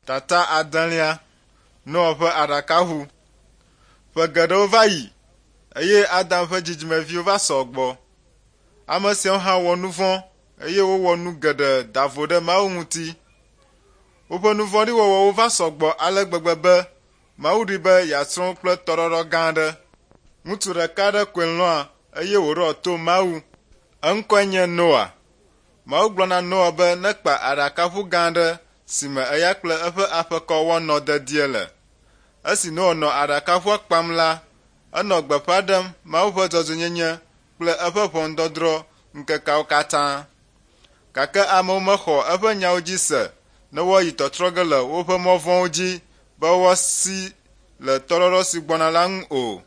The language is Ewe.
Tata adelia, Noa ƒe aɖakaʋu. Ƒe geɖewo va yi eye Adam ƒe dzidzimeviwo va sɔ gbɔ. Ame siawo hã wɔ nu vɔ̃ eye wowɔ nu geɖe da vo ɖe Mawu ŋuti. Woƒe nu vɔ̃ɖi wɔwɔwo va sɔ gbɔ ale gbegbe be Mawu ɖoe be yeatsrɔ̃ wo kple tɔɖɔɖɔ gã aɖe. Ŋutsu ɖeka aɖe koe lɔ̃a eye wòɖoa to Mawu. Eŋkɔe nye Noa. Mawu gblɔ na Noa be nekpa aɖakaʋu gã aɖe si me eya kple eƒe aƒekɔ woanɔ dedie le. Esi Noa nɔ aɖakaʋua kpam la, enɔ gbeƒã ɖem Mawu ƒe dzɔdzɔenyenye kple eƒe ʋɔnudɔdrɔ̃ ŋkekeawo katã. Gake amewo mexɔ eƒe nyawo dzi se ne woayi tɔtrɔ ge le woƒe mɔ vɔ̃wo dzi be woasi le tɔɖɔɖɔ si gbɔna la ŋu o.